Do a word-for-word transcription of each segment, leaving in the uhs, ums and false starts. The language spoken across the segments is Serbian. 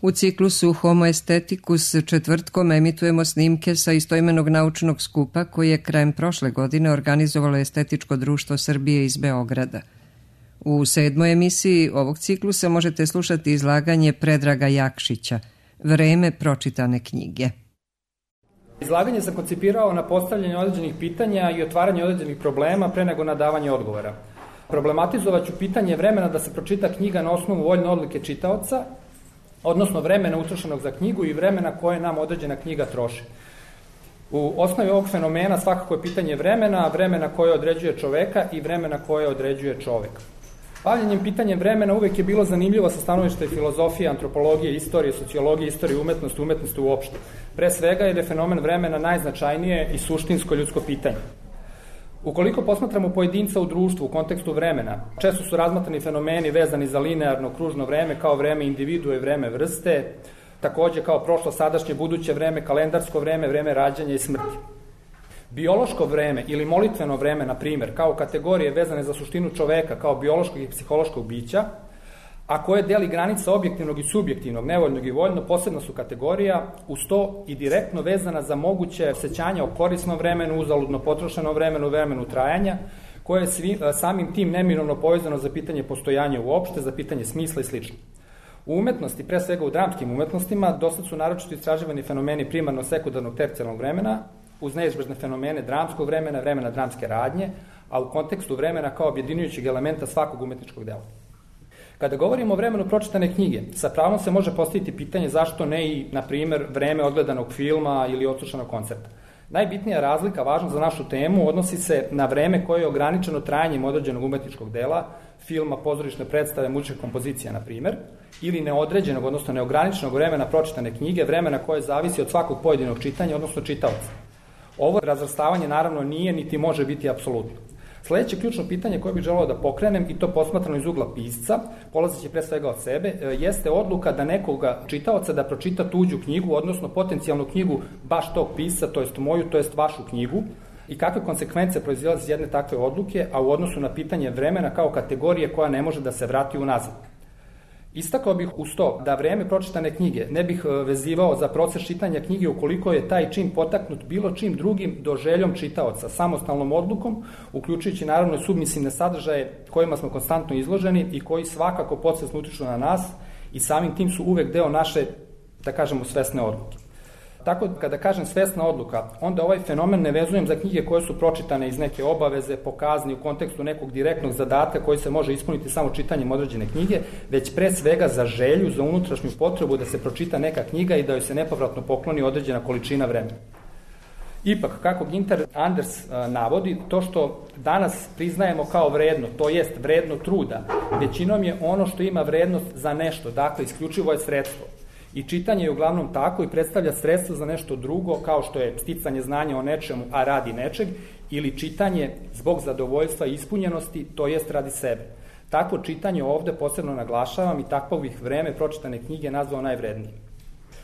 U ciklusu Homo Aestheticus četvrtkom emitujemo snimke sa istoimenog naučnog skupa koji je krajem prošle godine organizovalo Estetičko društvo Srbije iz Beograda. U sedmoj emisiji ovog ciklusa možete slušati izlaganje Predraga Jakšića, Vreme pročitane knjige. Izlaganje sam koncipirao na postavljanje određenih pitanja i otvaranje određenih problema pre nego na davanje odgovora. Problematizovat ću pitanje vremena da se pročita knjiga na osnovu voljne odluke čitaoca, odnosno vremena utrošenog za knjigu i vremena koje nam određena knjiga troši. U osnovi ovog fenomena svakako je pitanje vremena, vremena koje određuje čoveka i vremena koje određuje čovek. Bavljenjem pitanjem vremena uvek je bilo zanimljivo sa stanovišta filozofije, antropologije, istorije, sociologije, istorije umetnosti, umetnosti uopšte. Pre svega jer je fenomen vremena najznačajnije i suštinsko ljudsko pitanje. Ukoliko posmatramo pojedinca u društvu u kontekstu vremena, često su razmatrani fenomeni vezani za linearno kružno vreme kao vreme individue i vreme vrste, takođe kao prošlo, sadašnje, buduće vreme, kalendarsko vreme, vreme rađanja i smrti. Biološko vreme ili molitveno vreme, na primer, kao kategorije vezane za suštinu čoveka kao biološkog i psihološkog bića, a koje deli granica objektivnog i subjektivnog, nevoljnog i voljno, posebno su kategorija, uz to i direktno vezana za moguće sećanja o korisnom vremenu, uzaludno potrošenom vremenu, vremenu trajanja, koje je svi, samim tim neminovno povezano za pitanje postojanja uopšte, za pitanje smisla i sl. U umetnosti, pre svega u dramskim umetnostima, dosta su naročito istraživani fenomeni primarno sekundarnog tercijalnog vremena, uz neizbežne fenomene dramskog vremena, vremena dramske radnje, a u kontekstu vremena kao objedinjujućeg elementa svakog umetničkog dela. Kada govorimo o vremenu pročitane knjige, sa pravom se može postaviti pitanje zašto ne i, na primer, vreme odgledanog filma ili odslušanog koncerta. Najbitnija razlika, važna za našu temu, odnosi se na vreme koje je ograničeno trajanjem određenog umetničkog dela, filma, pozorišne predstave, muzičke kompozicija, na primer, ili neodređenog, odnosno neograničenog vremena pročitane knjige, vremena koje zavisi od svakog pojedinog čitanja, odnosno čitaoca. Ovo razvrstavanje naravno nije niti može biti apsolutno. Sledeće ključno pitanje koje bih želeo da pokrenem, i to posmatrano iz ugla pisca, polazeći pre svega od sebe, jeste odluka da nekoga čitaoca da pročita tuđu knjigu, odnosno potencijalnu knjigu baš tog pisca, to jest moju, to jest vašu knjigu, i kakve konsekvence proizilaze iz jedne takve odluke, a u odnosu na pitanje vremena kao kategorije koja ne može da se vrati unazad. Istakao bih uz to da vreme pročitane knjige ne bih vezivao za proces čitanja knjige ukoliko je taj čin potaknut bilo čim drugim do željom čitaoca, samostalnom odlukom, uključujući naravno i submisivne sadržaje kojima smo konstantno izloženi i koji svakako podsvesno utiču na nas i samim tim su uvek deo naše, da kažemo, svesne odluke. Tako, kada kažem svesna odluka, onda ovaj fenomen ne vezujem za knjige koje su pročitane iz neke obaveze, po kazni, u kontekstu nekog direktnog zadatka koji se može ispuniti samo čitanjem određene knjige, već pre svega za želju, za unutrašnju potrebu da se pročita neka knjiga i da joj se nepovratno pokloni određena količina vremena. Ipak, kako Ginter Anders navodi, to što danas priznajemo kao vredno, to jest vredno truda, većinom je ono što ima vrednost za nešto, dakle, isključivo je sredstvo. I čitanje je uglavnom tako i predstavlja sredstvo za nešto drugo, kao što je sticanje znanja o nečemu, a radi nečeg, ili čitanje zbog zadovoljstva i ispunjenosti, to jest radi sebe. Takvo čitanje ovde posebno naglašavam i takvo bih vreme pročitane knjige nazvao najvrednijim.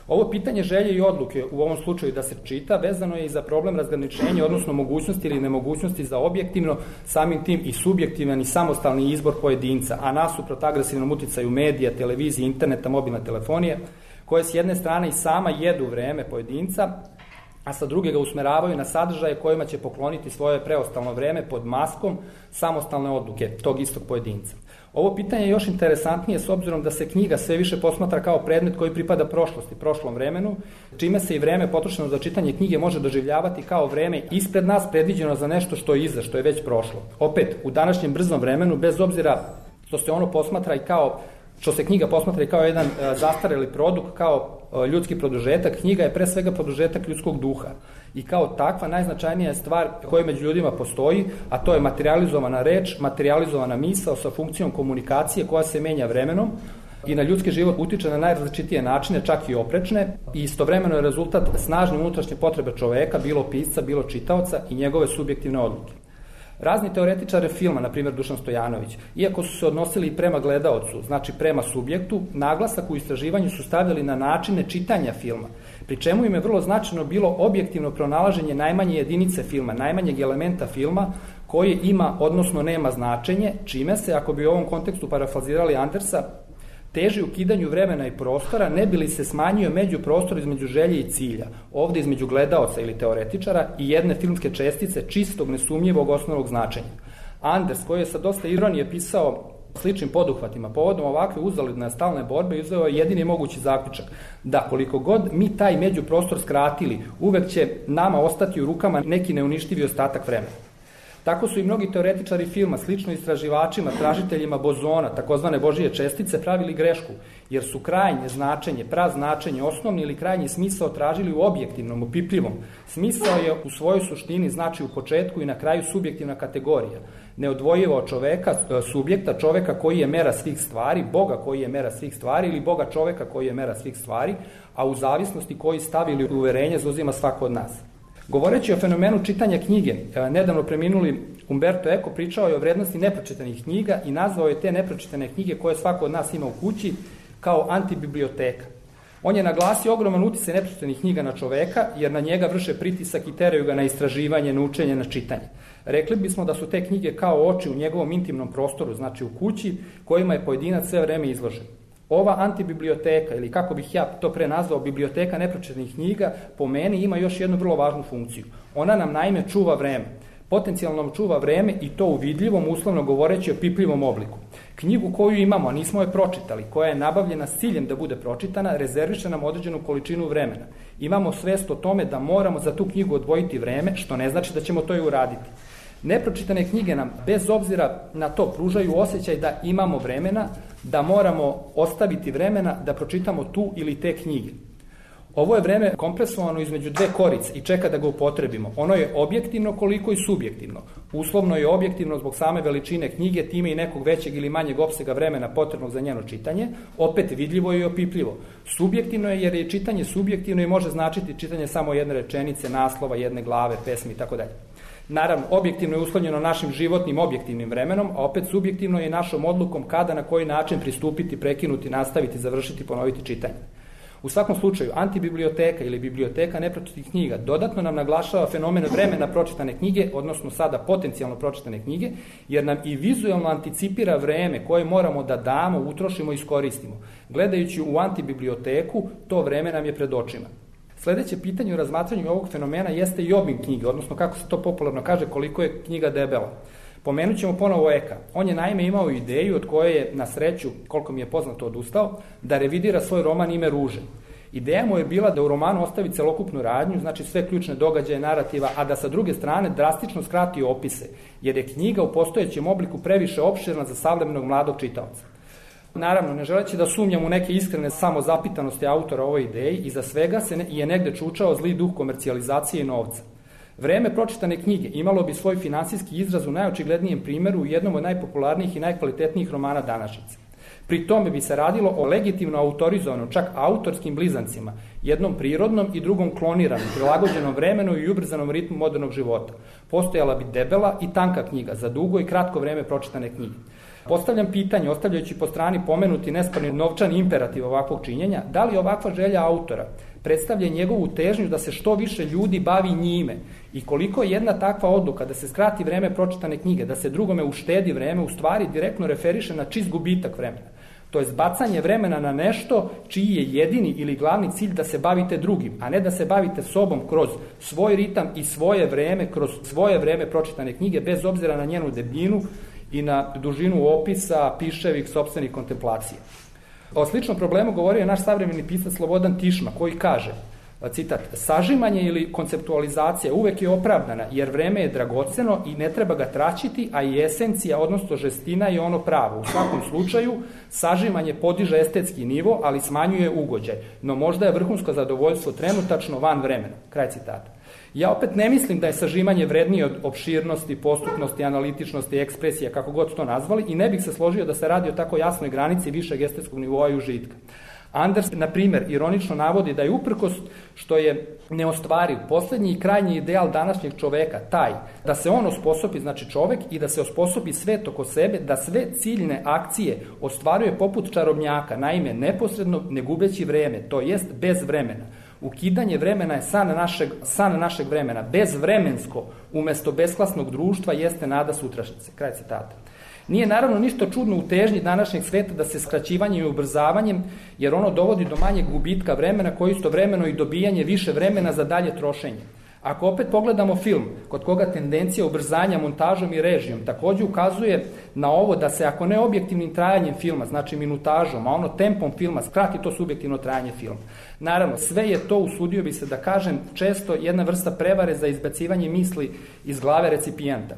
Ovo pitanje želje i odluke, u ovom slučaju da se čita, vezano je i za problem razgraničenja, odnosno mogućnosti ili nemogućnosti za objektivno, samim tim i subjektivan i samostalni izbor pojedinca, a nasuprot agresivnom uticaju medija, televizije, interneta, mobilne telefonije, koje s jedne strane i sama jedu vreme pojedinca, a sa druge ga usmeravaju na sadržaje kojima će pokloniti svoje preostalno vreme pod maskom samostalne odluke tog istog pojedinca. Ovo pitanje je još interesantnije s obzirom da se knjiga sve više posmatra kao predmet koji pripada prošlosti, prošlom vremenu, čime se i vreme potrošeno za čitanje knjige može doživljavati kao vreme ispred nas predviđeno za nešto što je iza, što je već prošlo. Opet, u današnjem brzom vremenu, bez obzira što se ono posmatra i kao što se knjiga posmatra i kao jedan zastareli produkt, kao ljudski produžetak, knjiga je pre svega produžetak ljudskog duha. I kao takva najznačajnija je stvar koja među ljudima postoji, a to je materializovana reč, materializovana misao sa funkcijom komunikacije koja se menja vremenom i na ljudski život utiče na najrazličitije načine, čak i oprečne, i istovremeno je rezultat snažne unutrašnje potrebe čoveka, bilo pisca, bilo čitaoca i njegove subjektivne odluke. Razni teoretičare filma, na primjer Dušan Stojanović, iako su se odnosili i prema gledaocu, znači prema subjektu, naglasak u istraživanju su stavljali na načine čitanja filma, pri čemu im je vrlo značajno bilo objektivno pronalaženje najmanje jedinice filma, najmanjeg elementa filma koji ima, odnosno nema značenje, čime se, ako bi u ovom kontekstu parafrazirali Andersa, teži ukidanju vremena i prostora, ne bi li se smanjio međuprostor između želje i cilja, ovde između gledaoca ili teoretičara i jedne filmske čestice čistog, nesumnjivog osnovnog značenja. Anders, koji je sa dosta ironije pisao sličnim poduhvatima povodom ovakve uzaludne stalne borbe, izveo je jedini mogući zaključak da koliko god mi taj međuprostor skratili, uvek će nama ostati u rukama neki neuništivi ostatak vremena. Tako su i mnogi teoretičari filma, slično istraživačima, tražiteljima bozona, takozvane Božije čestice, pravili grešku, jer su krajnje značenje, praznačenje, osnovni ili krajnji smisao tražili u objektivnom, upipljivom. Smisao je u svojoj suštini znači u početku i na kraju subjektivna kategorija. Neodvojivo od čoveka, subjekta, čoveka koji je mera svih stvari, Boga koji je mera svih stvari ili Boga čoveka koji je mera svih stvari, a u zavisnosti koji stav ili uverenje zauzima svako od nas. Govoreći o fenomenu čitanja knjige, nedavno preminuli Umberto Eco pričao je o vrednosti nepročitanih knjiga i nazvao je te nepročitane knjige koje svako od nas ima u kući kao antibiblioteka. On je naglasio ogroman uticaj nepročitanih knjiga na čoveka, jer na njega vrše pritisak i teraju ga na istraživanje, na učenje, na čitanje. Rekli bismo da su te knjige kao oči u njegovom intimnom prostoru, znači u kući, kojima je pojedinac sve vreme izložen. Ova antibiblioteka, ili kako bih ja to pre nazvao, biblioteka nepročitanih knjiga, po meni ima još jednu vrlo važnu funkciju. Ona nam naime čuva vreme. Potencijalno nam čuva vreme i to u vidljivom, uslovno govoreći o pipljivom obliku. Knjigu koju imamo, a nismo je pročitali, koja je nabavljena s ciljem da bude pročitana, rezerviše nam određenu količinu vremena. Imamo svest o tome da moramo za tu knjigu odvojiti vreme, što ne znači da ćemo to i uraditi. Nepročitane knjige nam, bez obzira na to, pružaju osjećaj da imamo vremena, da moramo ostaviti vremena da pročitamo tu ili te knjige. Ovo je vreme kompresovano između dve korice i čeka da ga upotrebimo. Ono je objektivno koliko i subjektivno. Uslovno je objektivno zbog same veličine knjige, time i nekog većeg ili manjeg opsega vremena potrebnog za njeno čitanje, opet vidljivo i opipljivo. Subjektivno je jer je čitanje subjektivno i može značiti čitanje samo jedne rečenice, naslova, jedne glave, pesmi i tako dalje. Naravno, objektivno je uslovljeno našim životnim objektivnim vremenom, a opet subjektivno je našom odlukom kada, na koji način pristupiti, prekinuti, nastaviti, završiti, ponoviti čitanje. U svakom slučaju, antibiblioteka ili biblioteka nepročitih knjiga dodatno nam naglašava fenomen vremena pročitane knjige, odnosno sada potencijalno pročitane knjige, jer nam i vizualno anticipira vreme koje moramo da damo, utrošimo i iskoristimo. Gledajući u antibiblioteku, to vreme nam je pred očima. Sledeće pitanje u razmatranju ovog fenomena jeste i obim knjige, odnosno kako se to popularno kaže, koliko je knjiga debela. Pomenut ćemo ponovo Eka. On je naime imao ideju od koje je na sreću, koliko mi je poznato, odustao, da revidira svoj roman Ime ruže. Ideja mu je bila da u romanu ostavi celokupnu radnju, znači sve ključne događaje, narativa, a da sa druge strane drastično skrati opise, jer je knjiga u postojećem obliku previše opširna za savremenog mladog čitaoca. Naravno, ne želeći da sumnjam u neke iskrene samozapitanosti autora ovoj ideji, iza svega se ne, je negde čučao zli duh komercijalizacije i novca. Vreme pročitane knjige imalo bi svoj finansijski izraz u najočiglednijem primeru u jednom od najpopularnijih i najkvalitetnijih romana današnjice. Pri tome bi se radilo o legitimno autorizovanom, čak autorskim blizancima, jednom prirodnom i drugom kloniranom, prilagođenom vremenu i ubrzanom ritmu modernog života. Postojala bi debela i tanka knjiga za dugo i kratko vreme pročitane knjige. Postavljam pitanje, ostavljajući po strani pomenuti nesporni novčani imperativ ovakvog činjenja, da li ovakva želja autora predstavlja njegovu težnju da se što više ljudi bavi njime i koliko je jedna takva odluka da se skrati vreme pročitane knjige, da se drugome uštedi vreme, u stvari direktno referiše na čist gubitak vremena. To je bacanje vremena na nešto čiji je jedini ili glavni cilj da se bavite drugim, a ne da se bavite sobom kroz svoj ritam i svoje vreme, kroz svoje vreme pročitane knjige, bez obzira na njenu debljinu i na dužinu opisa, piševih, sopstvenih kontemplacija. O sličnom problemu govorio je naš savremeni pisac Slobodan Tišma, koji kaže, citat, sažimanje ili konceptualizacija uvek je opravdana, jer vreme je dragoceno i ne treba ga traćiti, a i esencija, odnosno žestina je ono pravo. U svakom slučaju, sažimanje podiže estetski nivo, ali smanjuje ugođaj, no možda je vrhunsko zadovoljstvo trenutačno van vremena. Kraj citata. Ja opet ne mislim da je sažimanje vrednije od opširnosti, postupnosti, analitičnosti, ekspresije, kako god to nazvali, i ne bih se složio da se radi o tako jasnoj granici višeg estetskog nivoa i užitka. Anders, na primer, ironično navodi da je uprkos što je neostvariv poslednji i krajnji ideal današnjeg čoveka taj da se on osposobi, znači čovek, i da se osposobi svet oko sebe, da sve ciljne akcije ostvaruje poput čarobnjaka, naime neposredno ne gubeći vreme, to jest bez vremena. Ukidanje vremena je san našeg, san našeg vremena. Bezvremensko, umesto besklasnog društva, jeste nada sutrašnjice. Kraj citata. Nije naravno ništa čudno u težnji današnjeg sveta da se skraćivanjem i ubrzavanjem, jer ono dovodi do manjeg gubitka vremena koji istovremeno i dobijanje više vremena za dalje trošenje. Ako opet pogledamo film, kod koga tendencija ubrzanja montažom i režijom takođe ukazuje na ovo da se, ako ne objektivnim trajanjem filma, znači minutažom, a ono tempom filma, skrati to subjektivno trajanje filma. Naravno, sve je to, usudio bi se da kažem, često jedna vrsta prevare za izbacivanje misli iz glave recipijenta.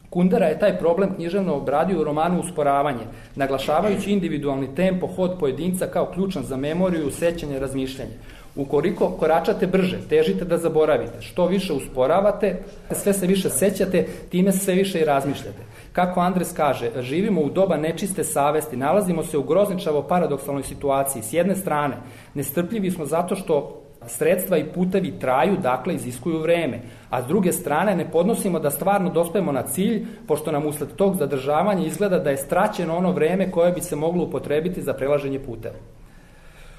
Kundera je taj problem književno obradio u romanu Usporavanje, naglašavajući individualni tempo, hod pojedinca kao ključan za memoriju, sećanje, razmišljanje. Ukoliko koračate brže, težite da zaboravite, što više usporavate, sve se više sećate, time se sve više i razmišljate. Kako Andres kaže, živimo u doba nečiste savesti, nalazimo se u grozničavo paradoksalnoj situaciji. S jedne strane, nestrpljivi smo zato što sredstva i putevi traju, dakle iziskuju vreme, a s druge strane ne podnosimo da stvarno dospemo na cilj, pošto nam usled tog zadržavanja izgleda da je straćeno ono vreme koje bi se moglo upotrebiti za prelaženje puteva.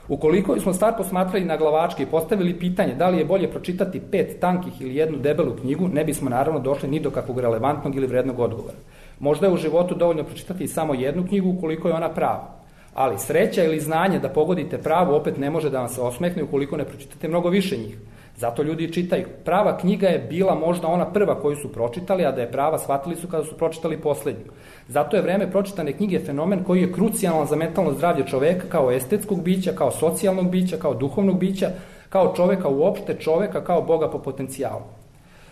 Ukoliko smo stvar posmatrali na glavačke i postavili pitanje da li je bolje pročitati pet tankih ili jednu debelu knjigu, ne bismo naravno došli ni do kakvog relevantnog ili vrednog odgovora. Možda je u životu dovoljno pročitati samo jednu knjigu ukoliko je ona prava. Ali sreća ili znanje da pogodite pravu opet ne može da vam se osmehne ukoliko ne pročitate mnogo više njih. Zato ljudi čitaju. Prava knjiga je bila možda ona prva koju su pročitali, a da je prava shvatili su kada su pročitali poslednju. Zato je vreme pročitane knjige fenomen koji je krucijalan za mentalno zdravlje čoveka kao estetskog bića, kao socijalnog bića, kao duhovnog bića, kao čoveka uopšte, čoveka kao Boga po potencijalu.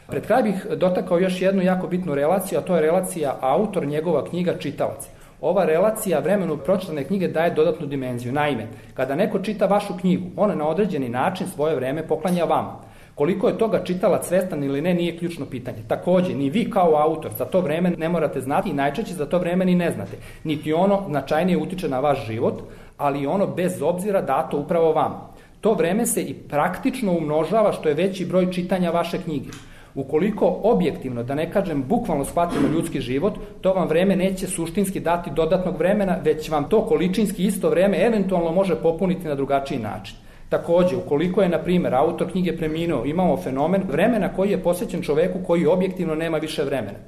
Pred kraj bih dotakao još jednu jako bitnu relaciju, a to je relacija autor, njegova knjiga, čitalac. Ova relacija vremenu pročitane knjige daje dodatnu dimenziju. Naime, kada neko čita vašu knjigu, on na određeni način svoje vreme poklanja vama. Koliko je toga čitalac svestan ili ne, nije ključno pitanje. Takođe, ni vi kao autor za to vreme ne morate znati i najčešće za to vreme ni ne znate. Niti ono značajnije utiče na vaš život, ali ono bez obzira dato upravo vama. To vreme se i praktično umnožava što je veći broj čitanja vaše knjige. Ukoliko objektivno, da ne kažem bukvalno shvatimo ljudski život, to vam vreme neće suštinski dati dodatnog vremena, već vam to količinski isto vreme eventualno može popuniti na drugačiji način. Takođe, ukoliko je, na primjer, autor knjige preminuo, imamo fenomen vremena koji je posvećen čoveku koji objektivno nema više vremena.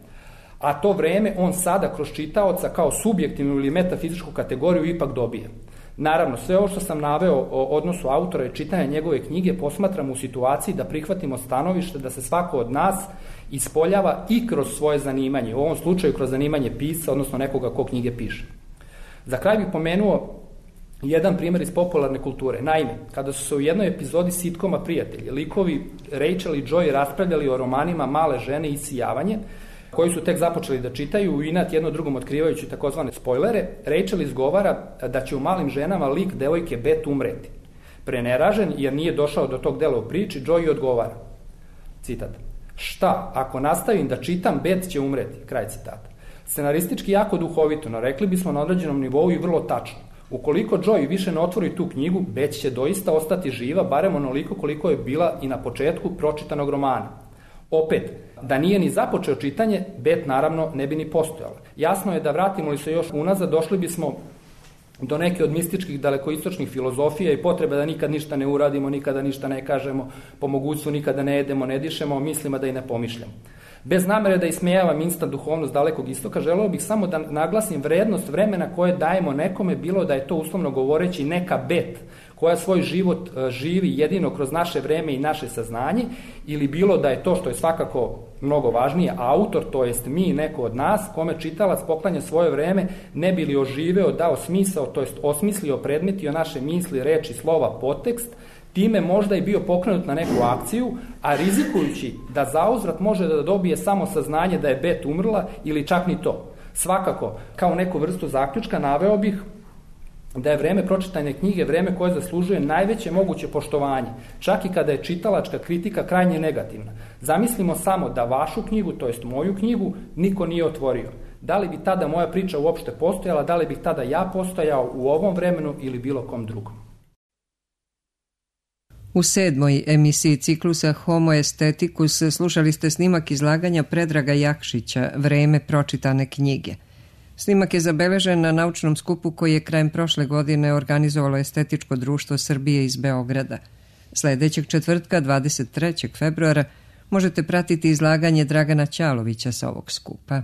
A to vreme on sada kroz čitaoca kao subjektivnu ili metafizičku kategoriju ipak dobije. Naravno, sve ovo što sam naveo o odnosu autora i čitanja njegove knjige posmatramo u situaciji da prihvatimo stanovište da se svako od nas ispoljava i kroz svoje zanimanje, u ovom slučaju kroz zanimanje pisca, odnosno nekoga ko knjige piše. Za kraj bih pomenuo jedan primjer iz popularne kulture. Naime, kada su se u jednoj epizodi sitkoma Prijatelji, likovi Rachel i Joy raspravljali o romanima Male žene i Isijavanje, koji su tek započeli da čitaju, u inat jedno drugom otkrivajući takozvane spoilere, Rachel izgovara da će u Malim ženama lik devojke Bet umreti. Preneražen, jer nije došao do tog dela u priči, Joy odgovara, citat, šta, ako nastavim da čitam, Bet će umreti, kraj citata. Scenaristički jako duhovito, no rekli bismo na određenom nivou i vrlo tačno. Ukoliko Joy više ne otvori tu knjigu, Bet će doista ostati živa, barem onoliko koliko je bila i na početku pročitanog romana. Opet, da nije ni započeo čitanje, Bet naravno ne bi ni postojala. Jasno je da vratimo li se još unazad, došli bismo do neke od mističkih dalekoistočnih filozofija i potrebe da nikad ništa ne uradimo, nikada ništa ne kažemo, po mogućstvu nikada ne jedemo, ne dišemo, mislima da i ne pomišljamo. Bez namere da ismejavam instant duhovnost dalekog istoka, želeo bih samo da naglasim vrednost vremena koje dajemo nekome, bilo da je to uslovno govoreći neka Bet, koja svoj život živi jedino kroz naše vreme i naše saznanje, ili bilo da je to, što je svakako mnogo važnije, autor, to jest mi, neko od nas, kome čitalac poklanja svoje vreme, ne bi li oživeo, dao smisao, to jest osmislio, predmetio naše misli, reči, slova, podtekst, time možda i bio pokrenut na neku akciju, a rizikujući da zauzvrat može da dobije samo saznanje da je Bet umrla ili čak ni to. Svakako, kao neku vrstu zaključka naveo bih da je vreme pročitanja knjige vreme koje zaslužuje najveće moguće poštovanje, čak i kada je čitalačka kritika krajnje negativna. Zamislimo samo da vašu knjigu, to jest moju knjigu, niko nije otvorio. Da li bi tada moja priča uopšte postojala, da li bih tada ja postojao u ovom vremenu ili bilo kom drugom? U sedmoj emisiji ciklusa Homo Aestheticus slušali ste snimak izlaganja Predraga Jakšića Vreme pročitane knjige. Snimak je zabeležen na naučnom skupu koji je krajem prošle godine organizovalo Estetičko društvo Srbije iz Beograda. Sledećeg četvrtka, dvadeset trećeg februara, možete pratiti izlaganje Dragana Ćalovića sa ovog skupa.